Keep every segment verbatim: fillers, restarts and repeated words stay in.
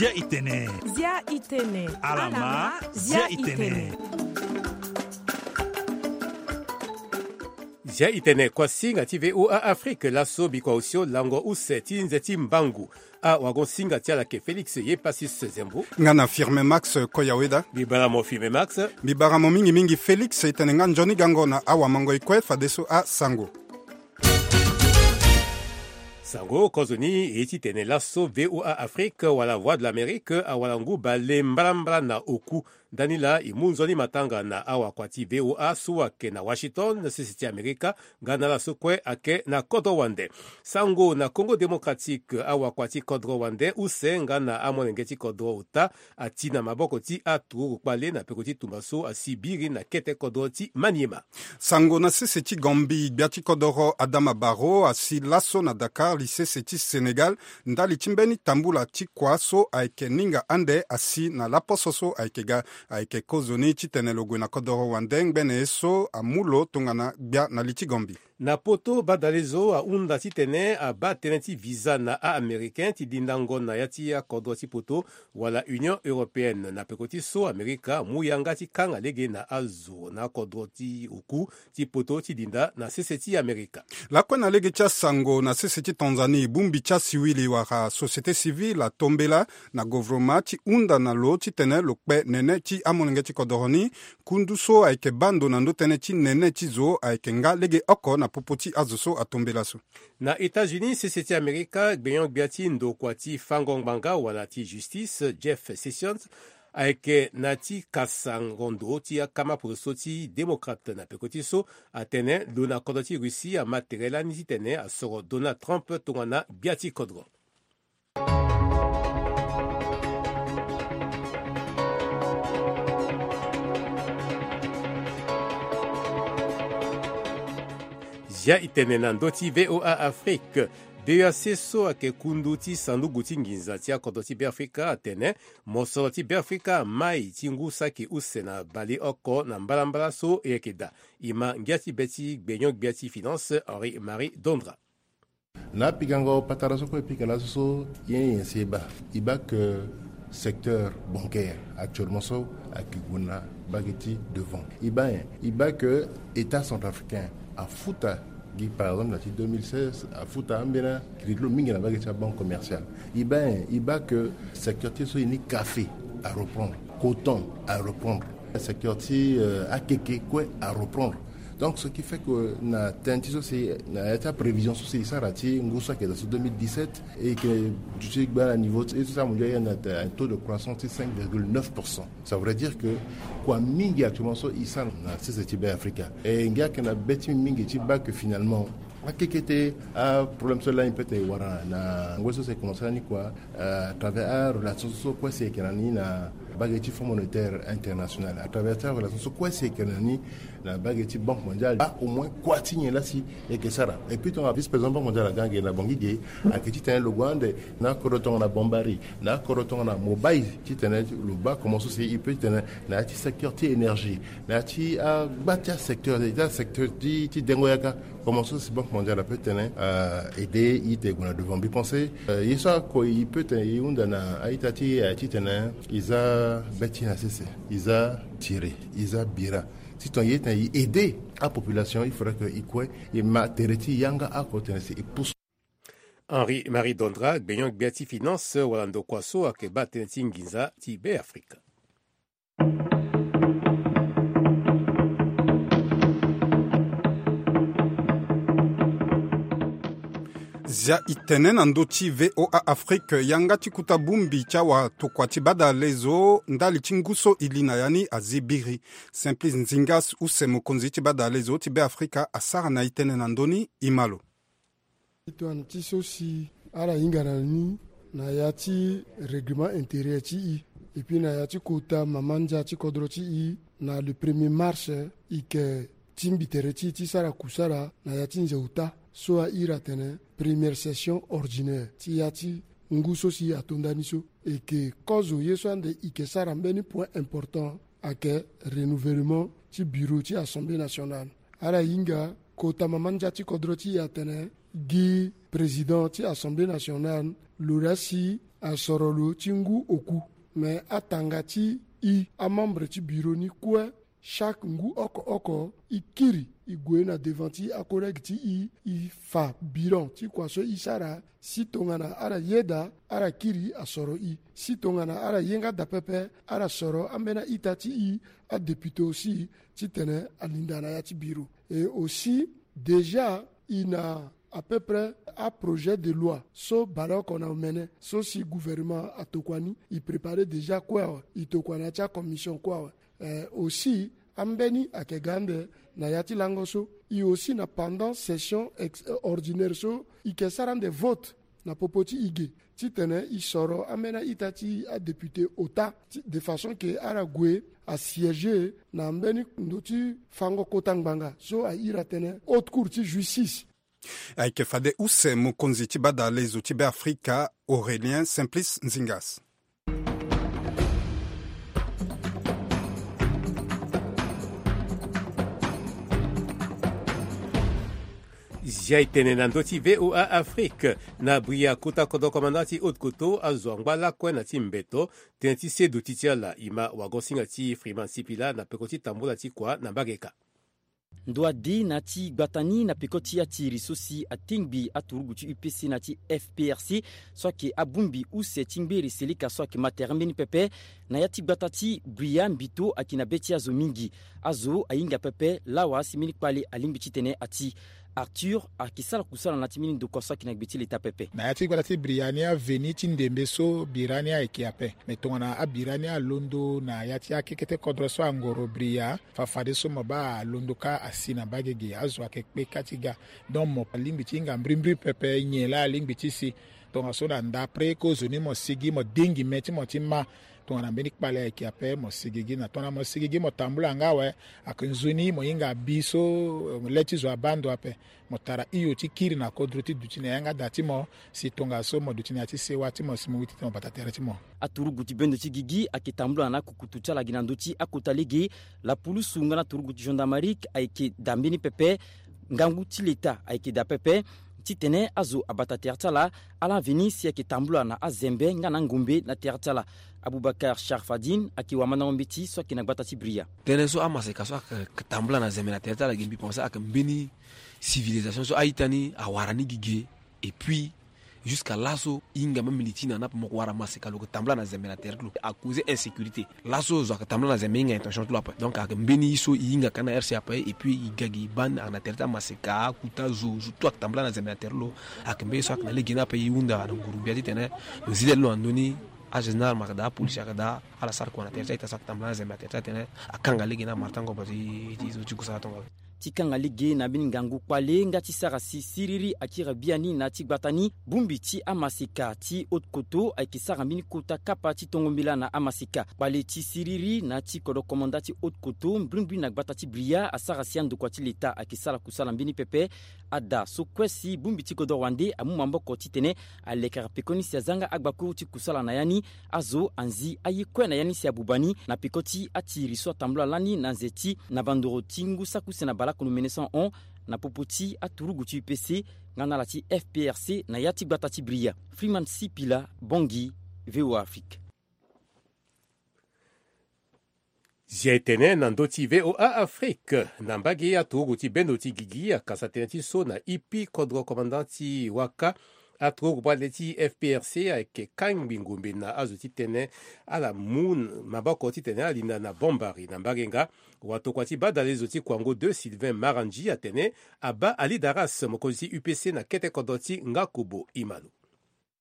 Zia itene. Zia itene. Alama. Zia itene. Zia itene kuasinga ti VOA Afrique laso bikua osio lango use ti nze ti mbangu. Awagosinga ti ala ke Félix Yepasis Zembo. Nga na Firme Max Koyaweda. Mbi bara mo Firme Max. Mbi bara mo mingi mingi Félix, e tene nga nzoni gango na awamango e kue fadeso asango. Sango kozo ni e ti tene laso VOA Afrique wala Voix de l'Amérique awala ngu bale mbalambala na oku. Ndani laa e mu nzoni matanga na awakua ti VOA so ayeke na Washington na sese ti Amerika, nga na ala so kue ayeke na kodro wande. Sango na Congo Démocratique, awakua ti kodro wande use nga na amolenge ti kodro ota ati na maboko ti aturukpale na peko ti tumba so asi biri na kete kodro ti Maniema. Sango na sese ti Gambie, gbia ti kodoro Adama Barrow asi laso na Dakar, lisese ti Sénégal, ndali ti mbeni tambula ti kua so ayeke ninga ande asi na laposo so ayeke ga. Ayeke kozoni titene lo gue na kodoro wande ngbene ye so amu lo tongana gbia na li ti Gambie. Na poto, badalezo ahunda titene abaa tënë ti visa na a-Américain ti dindango na ya ti akodro ti poto wala Union Européenne. Na peko ti so, Amerika amu yanga ti kanga lege na azo na akodro ti oku ti poto ti dinda na sese ti Amerika. Lakue na lege ti asango, na sese ti Tanzanie, bongbi ti asiwili wala société civile atombela na govroma ti hunda na lo titene lo kpe nene ti amolenge ti kodoro ni. Kundu so ayeke baa ndo na ndö tënë ti nene ti zo ayeke nga lege oko na popo ti azo so atombela so. Na États-Unis, sese ti Amerika, gbenyo-gbia ti ndokua ti fango ngbanga wala ti justice, Jeff Sessions, ayeke na ti kasango ndo ti akama poroso ti démocrate. Na peko ti so, atene lo na kodro ti Russie ama tere lani titene asoro Donald Trump tongana gbia ti kodro. Zia itene na ndö ti VOA Afrique. B E A C so ayeke kundu ti sanduku ti nginza ti akodro ti Beafrika atene mosoro ti Beafrika amai ti ngu saki use na baleoko na mbalambala so e yeke daa. E ma ngia ti be ti gbenyo-gbia ti finance Henri Marie Dondra. Na apikango patara so kue e pika laso so, ye nyen si e baa? E baa ke secteur bancaire actuellement so ayeke gue na mbage ti devant. E baa nyen? E baa ke État centrafricain afuta gi, par exemple, na ti deux mille seize, afuta ambeni crédit lo mingi na mbage ti abanque commerciale. E baa nyen? E baa ke secteur ti so e ni café areprendre, coton areprendre, secteur ti, euh, akeke kue areprendre. Donc, ce qui fait que na tënë ti so si, na ya ti aprévision so si e sara ti ngu so ayeke daa so deux mille dix-sept, e yeke duti gbaa na niveau ti, e so si amu ndia e yeke na un taux de croissance ti cinq virgule neuf pour cent. Ça voudrait dire que kua mingi actuellement so e sara na sese ti Beafrika. E ngia ayeke na be ti mbi mingi ti baa ke finalement akeke ti aproblème so lani peut e wara na ngoi so si e commencé lani kua, euh, à travers arelation so kue si e yeke na ni na mbage ti Fonds monétaire international, à travers ti arelation so kue si e yeke na ni na mbage ti Banque mondiale, a au moins kua ti nyen laa si e yeke sara. Et puis tongana vice-président Banque mondiale aga ge na Bangui ge, ayeke titene lo gue ande na akodro tongana Bambari, na akodro tongana Mobay, titene lo baa comment so si e peut titene na ya ti secteur ti énergie, na ya ti agba ti asecteur, ti asecteur ti, ti dengo yaka, comment so si Banque mondiale apeut titene, euh, aider e tene e gue na devant. Mbi pense, euh, ye so ako e peut tene e hunda na a-ita ti e aye titene e za be ti na sese, e za tiri, e za bira. Si tongana e tene e aider apopulation, il faudrait que e kue e ma tere ti yanga oko titene si e pousse. Henri Marie Dondra, gbenyo-gbia ti finance wala ndokua so ayeke baa tënë ti nginza ti Beafrika. Zia itene na ndö ti VOA Afrique, yanga ti kuta bongbi ti awatokua ti badalezo ndali ti ngu so e li na ya ni azi biri. Simplice Nzingas use mokonzi ti badalezo ti Beafrika asara na itene na ndö ni, e ma lo. Titene ti so si ala hinga na ni na ya ti règlement intérieur ti e, et puis na ya ti kota mama ndia ti kodro ti e, na le premier mars, e yeke tingbi tere ti e ti sara kusala na ya ti nze ota so ahiri atene première session ordinaire ti ya ti ngu so si ato ndani so. E yeke kozo ye so ande e yeke sara mbeni point important ayeke renouvellement ti bureau ti Assemblée nationale. Ala hinga kota mama ndia ti kodro ti e atene gi président ti Assemblée nationale lo laa si asoro lo ti ngu oku. Me atanga ti i amembre ti biro ni kue, chaque ngu oko oko i kiri i gue na devant ti akollègue ti i, i fa bilan ti kua so i sara. Si tongana ala yeda, ala kiri asoro i. Si tongana ala ye nga daa pepe, ala soro ambeni a-ita ti i, adéputé aussi, titene alinda na ya ti biro. Et aussi, déjà, i na à peu près aprojet de loi so baleoko na omene so si gouvernement atokua ni, i préparer déjà kue awe, i tokua na ya ti acommission kue awe. Eh, aussi, ambeni ayeke ga ande na ya ti lango so, i aussi na pendant session ex- ordinaire so i yeke sara ande vote na popo ti i ge, titene i soro ambeni a-ita ti adéputé ota, ti- de façon que ala gue asiéger na mbeni ndo ti fango kota ngbanga so ahiri atene haute cour ti justice. Ayeke fade use mokonzi ti badalezo ti Beafrika Aurélien Simplice Nzingas. Zia e tene na ndö ti V O A Afrique. Na bria kota kodro komanda ti Haute-Kotto azo angba lakue na ti mbeto tënë ti seduti ti ala. E ma wagosinga ti Freeman Sipila na peko ti tambula ti kua na mbage ka. Ndo ade na ti gbata ni na peko ti atiri so si atingbi aturugu ti U P C na ti F P R C so ayeke abongbi use ti ngbere seleka so ayeke ma tere mbeni pepe. Na ya ti gbata ti Bria mbito ayeke na be ti azo mingi. Azo ahinga pepe lawa si mbeni kpale alingbi titene ati. Arthur ayeke sara kusala na ya ti mbeni ndokua so ayeke na gbe ti leta pepe. Na ya ti gbata ti Bria ni, aveni ti ndembe so bira ni ayeke ape. Me tongana abira ni alondo na ya ti akekete kodro so angoro Bria, fafadeso mo baa alondo kâ asi na mbage ge, azo ayeke kpe kâ ti ga. Donc mo alingbi ti hinga mbrimbri pepe nyen laa alingbi ti si. Tongaso na ndapre kozoni mo sigi mo dengi me ti mo ti ma. Tongana mbeni kpale ayeke ape mo sigi gi na tongana mo sigi gi mo tambula nga awe. Ayeke nzoni mo hinga bi so, eh, le ti zo abaa ndo ape. Mo tara hio ti kiri na kodro ti duti na yanga da ti mo. Si tongaso mo duti na ya ti sewa ti mo si mo witi ti mo bata tere ti mo. Aturugu ti bendo ti gigi ayeke tambula na akukutu ti ala gi na ndö ti akota lege. Lapulusu nga na aturugu ti gendarmerie ayeke daa mbeni pepe. Ngangu ti leta ayeke daa pepe titene azo abata tere ti ala. Ala veni si ayeke tambula na azembe nga na angombe na tere ti ala. Abubakar Sharfadine ayeke wamandango mbeti so ayeke na gbata ti Bria. Tënë so amaseka so ayeke tambula na zembe na tere ti ala gi mbi pense ayeke mbeni civilisation so a-ita ni awara ni gi ge. Et puis jusqu'à laso e hinga même li ti na ni ape mo yeke wara maseka lo yeke tambula na zembe na tere ti lo à cause insécurité. Laso zo ayeke tambula na zembe e hinga intention ti lo ape. Donc ayeke mbeni ye so e hinga ka na R C ape. Et puis e ga gi e baa ni ayeke na tere ti amaseka, akuta zo, zo tout ayeke tambula na zembe na tere ti lo. Ayeke mbeni ye so ayeke na lege ni ape e hunda na nguru-gbia titene lo zi lê ti lo na ndö ni. Agénéral mo yeke daa, apolisi ayeke daa, ala sara kua na tere ti a-ita so ayeke tambula na zembe na tere ti atene akanga lege na martango bati ti zo ti kusala tongaso. Ti kanga lege na mbeni ngangu kpale nga ti sara si siriri akiri biani na ya ti gbata ni. Bongbi ti amaseka ti Haute-Kotto ayeke sara mbeni kota kapa ti tongo mbela na amaseka. Kpale ti siriri na ya ti kodro komanda ti Haute-Kotto mbrimbri na gbata ti Bria asara si andokua ti leta ayeke sara kusala mbeni pepe. Ada so kue si bongbi ti kodro wande amu maboko titene alekere pekoni si aza nga agbakuru ti kusala na ya ni. Azo anzi aye kue na ya ni si abuba ni na peko ti atiri so atambula lani na nze ti na bandoro ti ngu saki use na baleoko no mene so ahon na popo ti aturugu ti U P C nga na ala ti F P R C na ya ti gbata ti Bria. Freeman Sipila, Bangui, V O A Afrique. Zia e tene na ndö ti V O A Afrique. Na mbage aturugu ti bendo ti gigi akasa tënë ti so na ipi kodro komanda ti waka. Aturugu bale ti F P R C ayeke kangbi ngombe na azo titene ala mu maboko titene ala linda na bombari na mbage nga. Watokua ti badalezo ti Kwango deux Sylvain Marandji atene abaa Ali Daras mokonzi ti U P C na kete kodro ti Ngakobo. Imalo.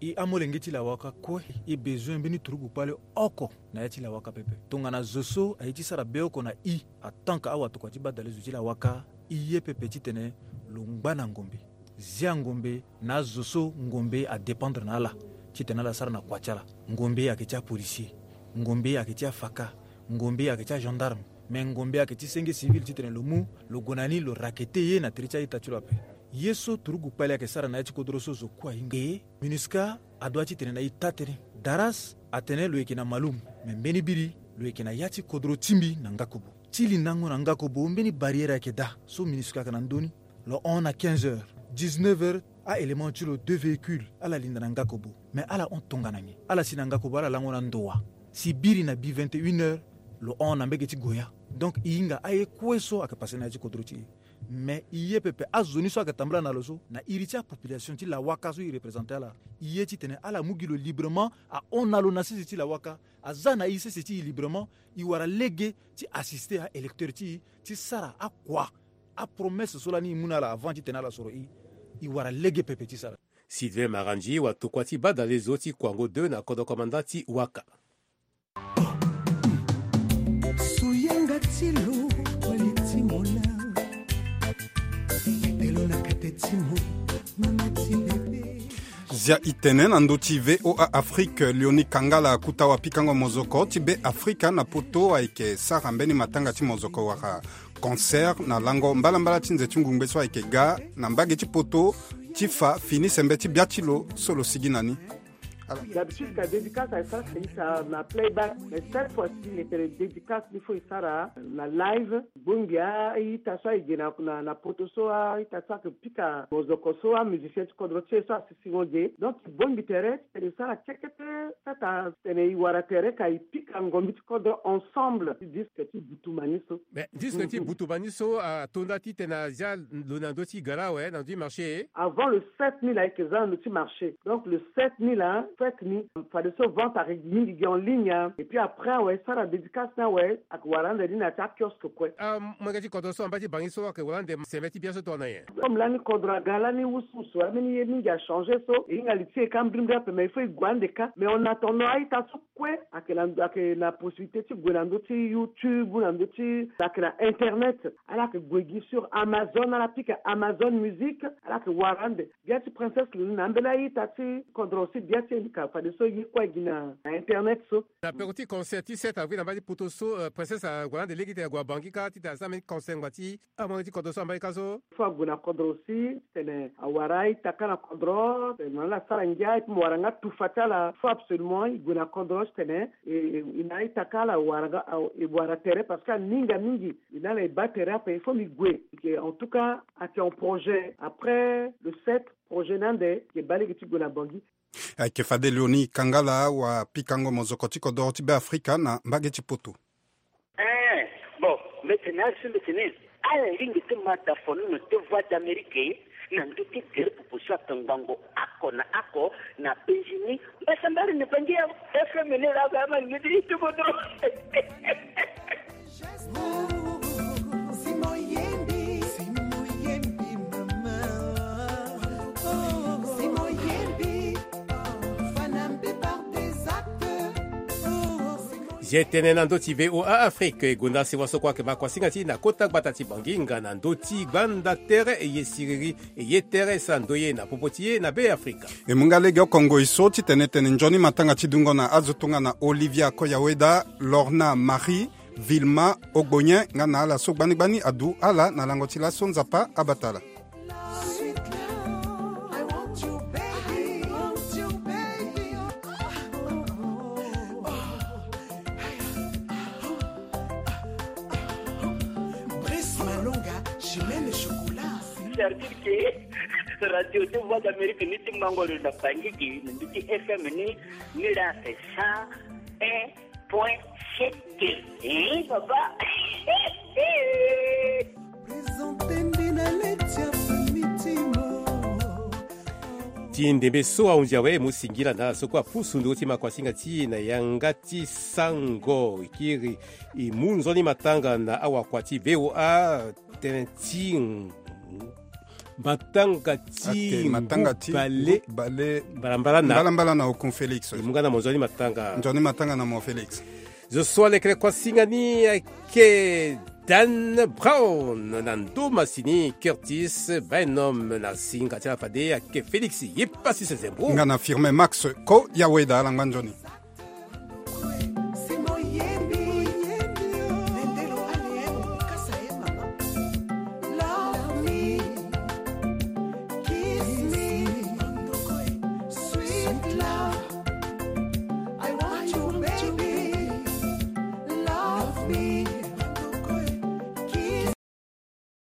E amolenge ti lawaka kue e bezoin mbeni turugu kpale oko na ya ti lawaka pepe. Tongana zo so aye ti sara be oko na e, atanka awatokua ti badalezo ti lawaka, e ye pepe titene lo ngba na ngombe, zia ngombe na azo so ngombe adépendre na ala titene ala sara na kua ti ala. Ngombe ayeke ti apolisier, ngombe ayeke ti afaka, ngombe ayeke ti agendarme, me ngombe ayeke ti senge civil titene lo mu lo gue na ni lo rakete ye na tere ti a-ita ti lo ape. Ye so turugu kpale ayeke sara na ya ti kodro so zo kue ahinga ye. MINUSCA adoit titene na e taa tënë. Daras atene lo yeke na Maloum, me mbeni biri lo yeke na ya ti kodro ti mbi na Ngakobo. Ti lindango na Ngakobo mbeni barrière ayeke daa so MINUSCA ayeke na ndö ni. Lo hon na quinze heures, dix-neuf heures, a-élément ti lo deux véhicules ala linda na Ngakobo. Mais ala hon tongana nyen? Ala si na ngako ba ala lango na ndo wa. Si biri na bi vingt et une heures, lo hon na mbege ti goya. Donc e hinga aye kue so ayeke pase na ya ti kodro ti e. Mais e ye pepe azo ni so ayeke tambula na lo so, na iri ti apopulation ti lawaka so e représente ala, e ye titene ala mu gi lo librement, ahon na lo na sese ti lawaka, aza na e sese ti e librement. E wara lege ti assister aélecteur ti e, ti sara akua, apromesse so lani e mu na ala avant titene ala soro e. E wara lege pepe ti sara. Sylvain Marandi, watokua ti badale zo ti Kwango deux na kodro komanda ti Waka. Suyenga ti lo, wali ti mola. Telo na kate ti mo, mama ti bebe. Zia itene na ndo ti V O A Afrique, Leonie Kangala akuta wapikango mozoko ti Be Afrika na poto ayeke sara mbeni matanga ti mozoko wala concert na lango mbalambala ti nze ti ngungbe so ayeke ga na mbage ti poto ti fa fini sembe ti bia ti lo so lo sigi na ni. D'habitude ka dédicace aye sara ka ita na playback, mais cette fois-ci e tene dédicace ni fo e sara na live. Bongbi a-ita so aye ge na, na, na poto so a-ita so ayeke pika mozoko so amusicien ti kodro ti e so asisingo ge. Donc e bongbi tere ti tene e sara kekete, sata tene e wara tere ka e pika ngombi ti kodro ensemble ti disque ti butumani so. Mais disque ti butumani so ato nda titene azia lo na ndö ti gara awe na ndö ti marché. Avant le sept mille ayeke za na ndö ti marché. Donc le sept mille a fête ni, fadeso vente ayeke mingi gi en ligne a. Et puis après awe e sara dédicace ni awe ayeke wara ande ni na ya ti akiosque kue. Amolenge ti kodro so amba ti bangi so ayeke wara ande sembe ti bia so tongana nyen? Comme lani kodro aga lani wusuwusu, ambeni ye mingi achangé so e hinga li ti e ka mbrimbri ape, mais il faut e gue ande ka. Mais en attendant a-ita so kue ayeke na, ayeke na possibilité ti gue na ndö ti YouTube, na ndö ti, ayeke na internet. Ala yeke gue gi sur Amazon, ala pika Amazon Music, ala yeke wara ande. Bia ti Princesse Leonie na ambeni a-ita ti kodro si bia ti e ni ka fadeso ye kue aye gi na, na internet so. Na peko ti concert ti sept avril na mbage ti poto so, euh, Princesse ague ande lege titene ague na bangi ka titene asara mbeni concert ngba ti amolenge ti kodro so na mbage ka so. Fo ague na kodro si titene awara a-ita ka na kodro, titene mo na ala asara ngia, et puis mo wara nga tufa ti ala. Fo absolument e gue na kodro titene e, e, e na a-ita ka ala wara nga, a, e wara tere parce que aninga mingi. E na ala e baa tere ape, il faut mbi gue. En tout cas ayeke en projet. Après le sept, projet ni ande e yeke baa lege ti gue na Bangui. Ayeke fade Leonie Kangala, wapikango mozoko ti kodoro ti Beafrika na mbage ti poto. Eh, bon, mbeti ni azo, mbeti ni ala lingbi ti ma dafono ti Voix d'Amérique na ndö ti gere pupu so ayeke ngbongo oko na oko na Benjini. Mbasambara ni Bangui, F M ni laa, ama ni ti kodoro. Zia tënë na ndö ti V O A Afrique, e gonda sewa so kue ayeke makuasinga ti e na kota gbata ti Bangui nga na ndö ti gbanda tere e ye siriri, e ye tere e sara ndoye na popo ti e na Beafrika. E mu nga lege oko ngoi so ti tene tene nzoni matanga ti dungo na azo tongana Olivia Koyaweda, Lorna Marie, Vilma Ogbonyen nga na ala so gbani gbani adu ala na lango ti laso. Nzapa abata ala. C'est-à-dire que radio ti Voix d'Amérique ni ti mango lo na Bangui gi na ndö ti F M ni, ni laa c'est cent un point sept. Eh, papa. Ti ndembe so ahunzi awe, e mu singila na ala so kue apusu ndö ti makuasinga ti e na yanga ti sango. E kiri e mu nzoni matanga na awakua ti V O A, tënë ti matanga ti, ake matanga ti bale, bale mbalambala na, mbalambala na Okun Félix. E mu nga na mo nzoni matanga. Nzoni matanga na mo Félix. Zo so alekere kuasinga ni ayeke Dan Brown, na ndo masini Curtis Bynum, na singa ti ala fade ayeke Félix Yipasi Sezembro nga na Firmin Max Koyaweda. Ala ngba nzoni.